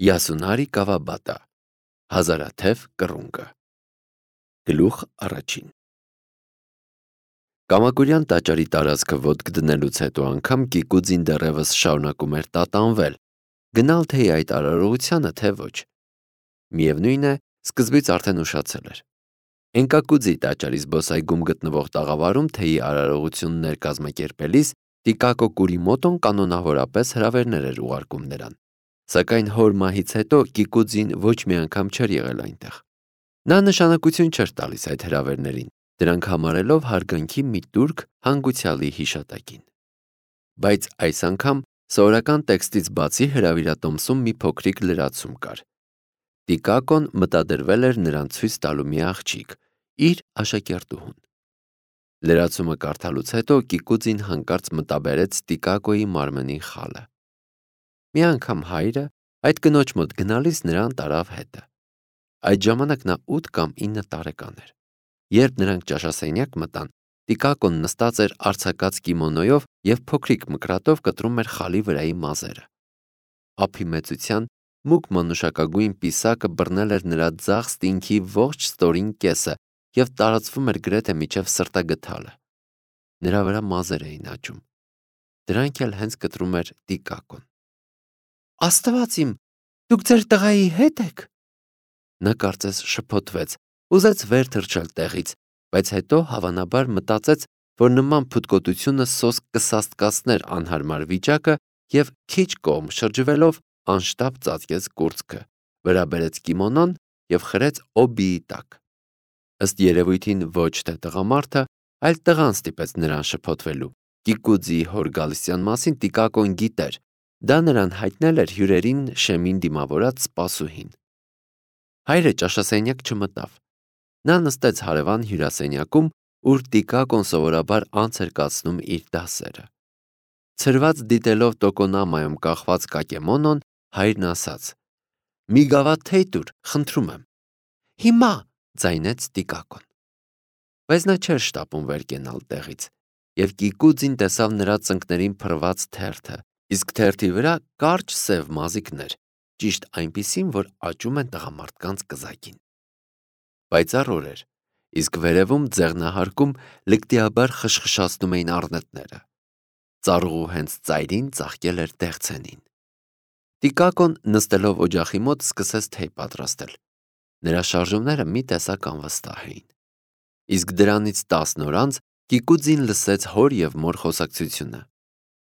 Յասունարի Կավաբատա, հազարաթև կռունկը։ Գլուխ առաջին։ Կամակուրյան տաճարի տարածքը ոտք դնելուց հետո անգամ Կիկուձին դեռևս շարունակում էր տատանվել, գնալ թե այդ արարողությանը, թե ոչ։ Միևնույն է, սկզբից արդեն ուշացել էր։ Էնկակուձի տաճարի զբոսայգում գտնվող տաղավարում թեյի արարողություններ կազմակերպելիս Տիկակո Կուրիմոտոն կանոնավորապես հրավերներ էր ուղարկում նրան, սակայն հոր մահից հետո Կիկուձին ոչ մի անգամ չէր եղել այնտեղ։ Նա նշանակություն չէր տալիս այդ հրավերներին, դրանք համարելով հարգանքի մի տուրք հանգուցյալի հիշատակին։ Բայց այս անգամ սովորական տեքստից բացի հրավիրատոմսում մի փոքրիկ լրացում կար։ Տիկակոն մտադրվել էր նրան ցույց տալու մի աղջիկ, իր աշակերտուհուն։ Լրացումը կարդալուց հետո Կիկուձին հանկարծ մտաբերեց Տիկակոյի մարմնին խալը։ Մի անգամ հայրը այդ կնոջ մոտ գնալիս նրան տարավ հետը։ Այդ ժամանակ նա 8 կամ 9 տարեկան էր։ Երբ նրանք ճաշասենյակ մտան, Տիկակոն նստած էր արձակած կիմոնոյով և փոքրիկ մկրատով կտրում էր խալի վրայի մազերը։ Ափի մեծության մուգ մանուշակագույն պիսակը բռնել էր նրա ձախ ստինքի ողջ ստորին կեսը և տարածվում էր գրեթե մինչև սրտագդալը։ Նրա վրա մազեր էին աճում։ Դրանք էլ հենց կտրում էր Տիկակոն։ Աստված իմ, դուք ձեր տղայի հետ եք։ Նա կարծես շփոթվեց, ուզեց վեր թռչել տեղից, բայց հետո հավանաբար մտածեց, որ նման փութկոտությունը սոսկ կսաստկացներ անհարմար վիճակը և քիչ կողմ շրջվելով անշտապ ծածկեց կուրծքը, վրա բերեց կիմոնոն և խրեց օբիի տակ։ Ըստ երևույթին ոչ թե տղամարդը, այլ տղան ստիպեց նրան շփոթվելու։ Կիկուձիի հոր գալստյան մասին Տիկակոն գիտեր, դա նրան հայտնել էր հյուրերին շեմին դիմավորած սպասուհին։ Հայրը ճաշասենյակ չմտավ։ Նա նստեց հարևան հյուրասենյակում, ուր Տիկակոն սովորաբար անց էր կացնում իր դասերը։ Ցրված դիտելով տոկոնամայում կախված կակեմոնոն, հայրն ասաց. «Մի գավաթ թեյ տուր, խնդրում եմ»։ «Հիմա», ձայնեց Տիկակոն։ Բայց նա չէր շտապում վեր կենալ տեղից, և Կիկուձին տեսավ նրա ծնկներին փռված թերթը, իսկ թերթի վրա կարճ սև մազիկներ, ճիշտ այնպիսին, որ աճում են տղամարդկանց կզակին։ Պայծառ օր էր, իսկ վերևում ձեղնահարկում լկտիաբար խշխշացնում էին առնետները։ Ծառուղու հենց ծայրին ծաղկել էր դեղցենին։ Տիկակոն նստելով օջախի մոտ սկսեց թեյ պատրաստել։ Նրա շարժումները մի տեսակ անվստահ էին։ Իսկ դրանից 10 օր անց Կիկուձին լսեց հոր և մոր խոսակցությունը։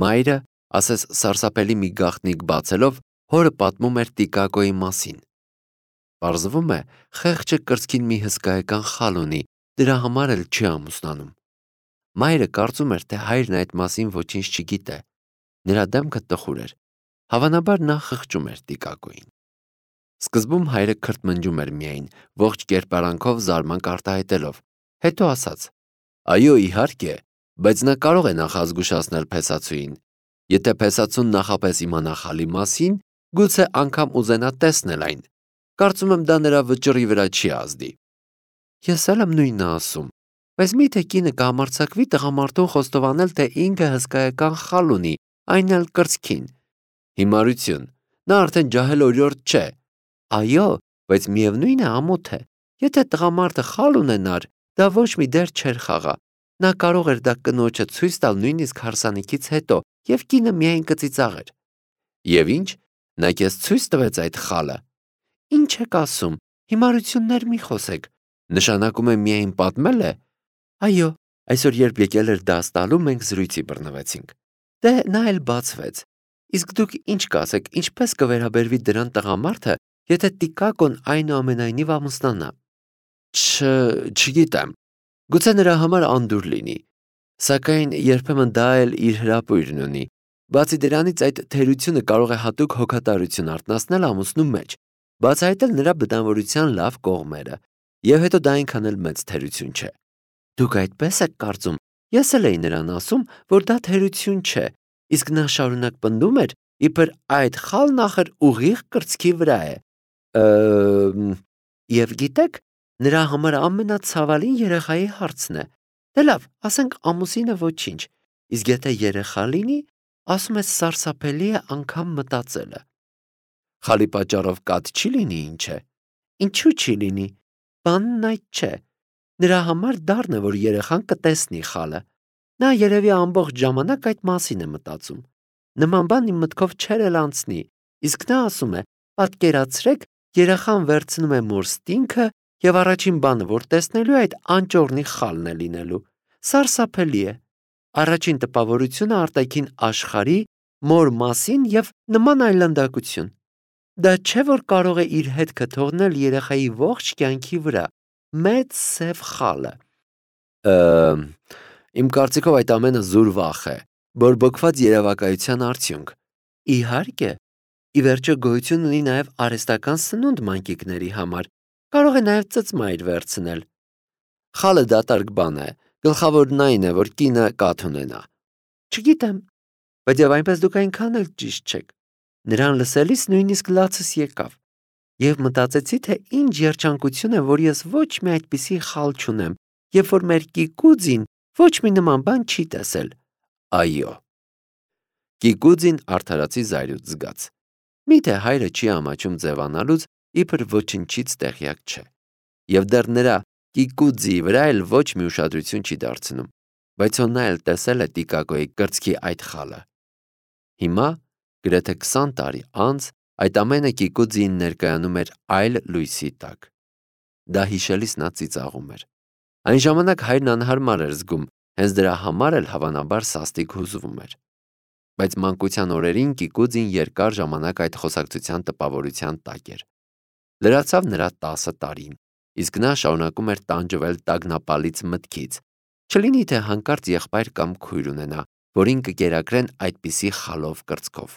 Մայրը, ասես սարսափելի մի գաղտնիք բացելով, հորը պատմում էր Տիկակոյի մասին։ Պարզվում է, խեղճը կրծքին մի հսկայական խալ ունի, դրա համար էլ չի ամուսնանում։ Մայրը կարծում էր, թե հայրն այդ մասին ոչինչ չգիտե։ Նրա դեմքը տխուր էր։ Հավանաբար նա խղճում էր Տիկակոյին։ Սկզբում հայրը քրթմնջում էր միայն, ողջ կերպարանքով զարմանք արտահայտելով, հետո ասաց. «Այո, իհարկե, բայց նա կարող է նախազգուշացնել փեսացուին։ Եթե փեսացուն նախապես իմանա խալի մասին, գուցե անգամ ուզենա տեսնել այն։ Կարծում եմ դա նրա վճռի վրա չի ազդի»։ Ես էլ եմ նույնը ասում, բայց միթե կինը կհամարձակվի տղամարդուն խոստովանել, թե ինքը հսկայական խալ ունի, այն էլ կրծքին։ Հիմարություն, նա արդեն ջահել օրիորդ չէ։ Այո, բայց միևնույն է ամոթ է։ Եթե տղամարդը խալ ունենար, դա ոչ մի դեր չէր խաղա։ Նա կարող էր դա կնոջը ցույց տալ նույնիսկ հարսանիքից հետո, և կինը միայն կծիծաղեր։ Եվ ինչ, նա քեզ ցույց տվեց այդ խալը։ Ինչ եք ասում, հիմարություններ մի խոսեք։ Նշանակում է միայն պատմել է։ Այո, այսօր երբ եկել էր դաս տալու, մենք զրույցի բռնվեցինք։ Դե նա էլ բացվեց։ Իսկ դուք ինչ կասեք, ինչպես կվերաբերվի դրան տղամարդը, եթե Տիկակոն այնուամենայնիվ ամուսնանա։ Չգիտեմ։ Գուցե նրա համար անդուր լինի։ Սակայն երբեմն դա էլ իր հրապույրն ունի։ Բացի դրանից այդ թերությունը կարող է հատուկ հոգատարություն արթնացնել ամուսնու մեջ, բացահայտել նրա բնավորության լավ կողմերը, և հետո դա այնքան էլ մեծ թերություն չէ։ Դուք այդպես եք կարծում, ես էլ էի նրան ասում, որ դա թերություն չէ, իսկ նա շարունակ պնդում էր, իբր այդ խալն ախր ուղիղ կրծքի վրա է։ Եվ գիտեք, նրա համար ամենացավալին երեխայի հարցն է։ Դե լավ, ասենք ամուսինը ոչինչ, իսկ եթե երեխա լինի, ասում է սարսափելի է անգամ մտածելը։ Խալի պատճառով կաթ չի լինի, ինչ է։ Ինչու չի լինի։ Բանն այդ չէ։ Նրա համար դառն է, որ երեխան կտեսնի խալը։ Նա երևի ամբողջ ժամանակ այդ մասին է մտածում։ Նման բան իմ մտքով չէր էլ անցնի, իսկ նա ասում է. պատկերացրեք, երեխան վերցնում է մորստինքը եւ առաջին բանը, որ տեսնելու է, այդ անճոռնի խալն է լինելու։ Սարսափելի է։ Առաջին տպավորությունը արտաքին աշխարհի, մոր մասին եւ նման այլանդակություն։ Դա չէ, որ կարող է իր հետքը թողնել երեխայի ողջ կյանքի վրա։ Մեծ սև խալը։ Իմ կարծիքով այդ ամենը զուր վախ է, բորբոքված երևակայության արդյունք։ Իհարկե, ի վերջո գոյություն ունի նաև արհեստական սնունդ մանկիկների համար, կարող է նաև ծծմայր վերցնել։ Խալը դատարկ բան է, գլխավորն այն է, որ կինը կաթ ունենա։ Չգիտեմ, բայց եւ այնպես դուք այնքան էլ ճիշտ չեք։ Նրան լսելիս նույնիսկ լացս եկավ։ Եվ մտածեցի, թե ինչ երջանկություն է, որ ես ոչ մի այդպիսի խալ չունեմ, երբ որ մեր Կիկուձին ոչ մի նման բան չի տեսել։ Այո։ Կիկուձին արդարացի զայրույթ զգաց։ Միթե հայրը չի ամաչում ձևանալուց, իբր ոչնչից տեղյակ չէ։ Եվ դեռ նրա Կիկուձի վրա էլ ոչ մի ուշադրություն չի դարձնում, բայց նա էլ տեսել է Տիկակոյի կրծքի այդ խալը։ Հիմա, գրեթե 20 տարի անց, այդ ամենը Կիկուձին ներկայանում էր այլ լույսի տակ։ Դա հիշելիս նա ծիծաղում էր։ Այն ժամանակ հայրն անհարմար էր զգում, հենց դրա համար էլ հավանաբար սաստիկ հուզվում էր։ Բայց մանկության օրերին Կիկուձին երկար ժամանակ այդ խոսակցության տպավորության տակ էր։ Լրացավ նրա 10 տարին, իսկ նա շարունակում էր տանջվել տագնապալից մտքից, չլինի թե հանկարծ եղբայր կամ քույր ունենա, որին կկերակրեն այդպիսի խալով կրծքով։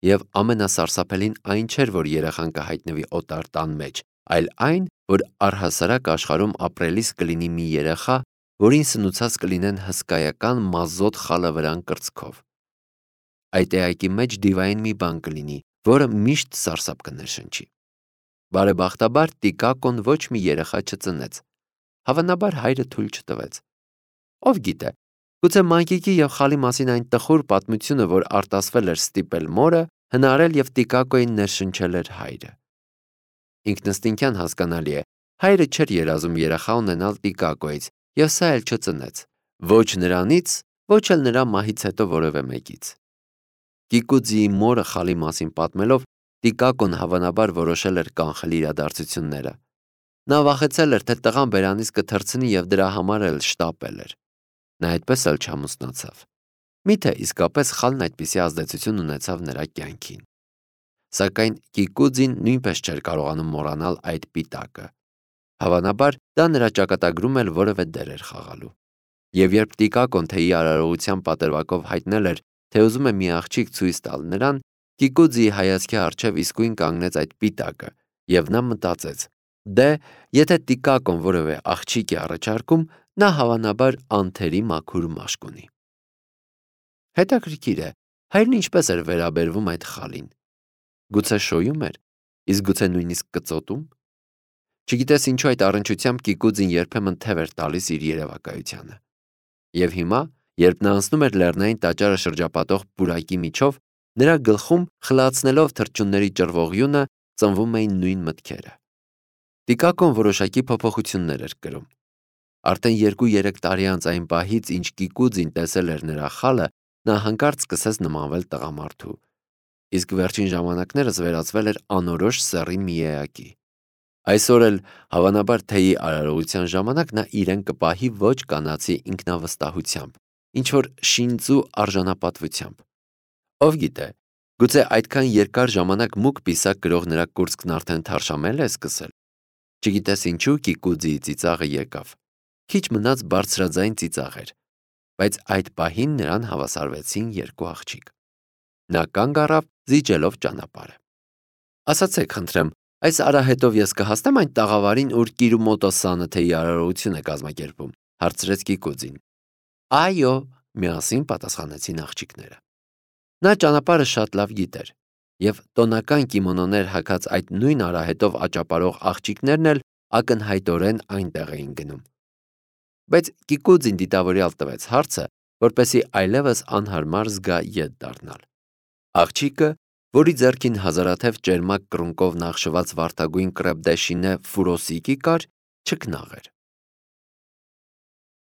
Եվ ամենասարսափելին այն չէր, որ երեխան կհայտնվի օտար տան մեջ, այլ այն, որ առհասարակ աշխարհում ապրելիս կլինի մի երեխա, որին սնուցած կլինեն հսկայական մազոտ խալը վրան կրծքով։ Այդ էակի մեջ դիվային մի բան կլինի, որը միշտ սարսափ կներշնչի։ Բարեբախտաբար Տիկակոն ոչ մի երեխա չծնեց։ Հավանաբար հայրը թույլ չտվեց։ Ով գիտե, գուցե մանկիկի եւ խալի մասին այն տխուր պատմությունը, որ արտասվել էր ստիպել մորը, հնարել եւ Տիկակոյին ներշնչել էր հայրը։ Ինքնըստինքյան հասկանալի է, հայրը չէր երազում երեխա ունենալ Տիկակոյից եւ սա էլ չծնեց։ Ոչ նրանից, ոչ էլ նրա մահից հետո որևէ մեկից։ Կիկուձիի մորը խալի մասին պատմելով, Տիկակոն հավանաբար որոշել էր կանխել իրադարձությունները։ Նա վախեցել էր, թե տղան բերանից կթռցնի եւ դրա համար էլ շտապել էր։ Նա այդպես էլ չամուսնացավ։ Միթե իսկապես խալն այդպիսի ազդեցություն ունեցավ նրա կյանքին։ Սակայն Կիկուձին նույնպես չէր կարողանում մոռանալ այդ պիտակը։ Հավանաբար դա նրա ճակատագրում էլ որևէ դեր էր խաղալու։ Եվ երբ Տիկակոն թեյի արարողության պատրվակով հայտնել էր, թե ուզում է մի աղջիկ ցույց տալ նրան, Կիկուձիի հայացքի առջև իսկույն կանգնեց այդ պիտակը, եւ նա մտածեց. դե, եթե Տիկակոն որևէ աղջիկ է առաջարկում, նա հավանաբար անթերի մաքուր մաշկ ունի։ Հետաքրքիր է, հայրն ինչպես էր վերաբերվում այդ խալին։ Գուցե շոյում էր, իսկ գուցե նույնիսկ կծոտում։ Չգիտես ինչու այդ առնչությամբ Կիկուձին երբեմն թև էր տալիս իր երևակայությանը։ Եվ հիմա, երբ նա անցնում էր լեռնային տաճարը շրջապատող պուրակի միջով, նրա գլխում, խլացնելով թռչունների ճռվողյունը, ծնվում էին նույն մտքերը։ Տիկակոն որոշակի փոփոխություններ էր կրում։ Արդեն 2-3 տարի անց այն պահից, ինչ Կիկուձին տեսել էր նրա խալը, նա հանկարծ սկսեց նմանվել տղամարդու, իսկ վերջին ժամանակներս վերածվել էր անորոշ սեռի մի էակի։ Այսօր էլ, հավանաբար թեյի արարողության ժամանակ նա իրեն կպահի ոչ կանացի ինքնավստահությամբ, ինչ-որ շինծու արժանապատվությամբ։ Ով գիտե, գուցե այդքան երկար ժամանակ մուկ պիսակ կրող նրա կուրծքն արդեն թարշամել է սկսել։ Չգիտես ինչու Կիկուձիի ծիծաղը եկավ։ Քիչ մնաց բարձրաձայն ծիծաղ էր, բայց այդ պահին նրան հավասարվեցին 2 աղջիկ։ Նա կանգ առավ, զիջելով ճանապարհը։ Ասացեք, խնդրեմ, այս արահետով ես կհասնեմ այն տաղավարին, ուր Կիրումոտոսանը թեյի արարողություն է կազմակերպում, հարցրեց Կիկուձին։ Այո, միասին պատասխանեցին աղջիկները։ Նա ճանապարհը շատ լավ գիտեր, եւ տոնական կիմոնոներ հագած այդ նույն արահետով աճապարող աղջիկներն էլ ակնհայտորեն այնտեղ էին գնում։ Բայց Կիկուձին դիտավորյալ տվեց հարցը, որպեսզի այլևս անհարմար զգա ետ դառնալ։ Աղջիկը որի ձեռքին հազարաթև ճերմակ կռունկով նախշված վարդագույն կրեպ դե շինե ֆուրոսիկի կար, չքնաղ էր։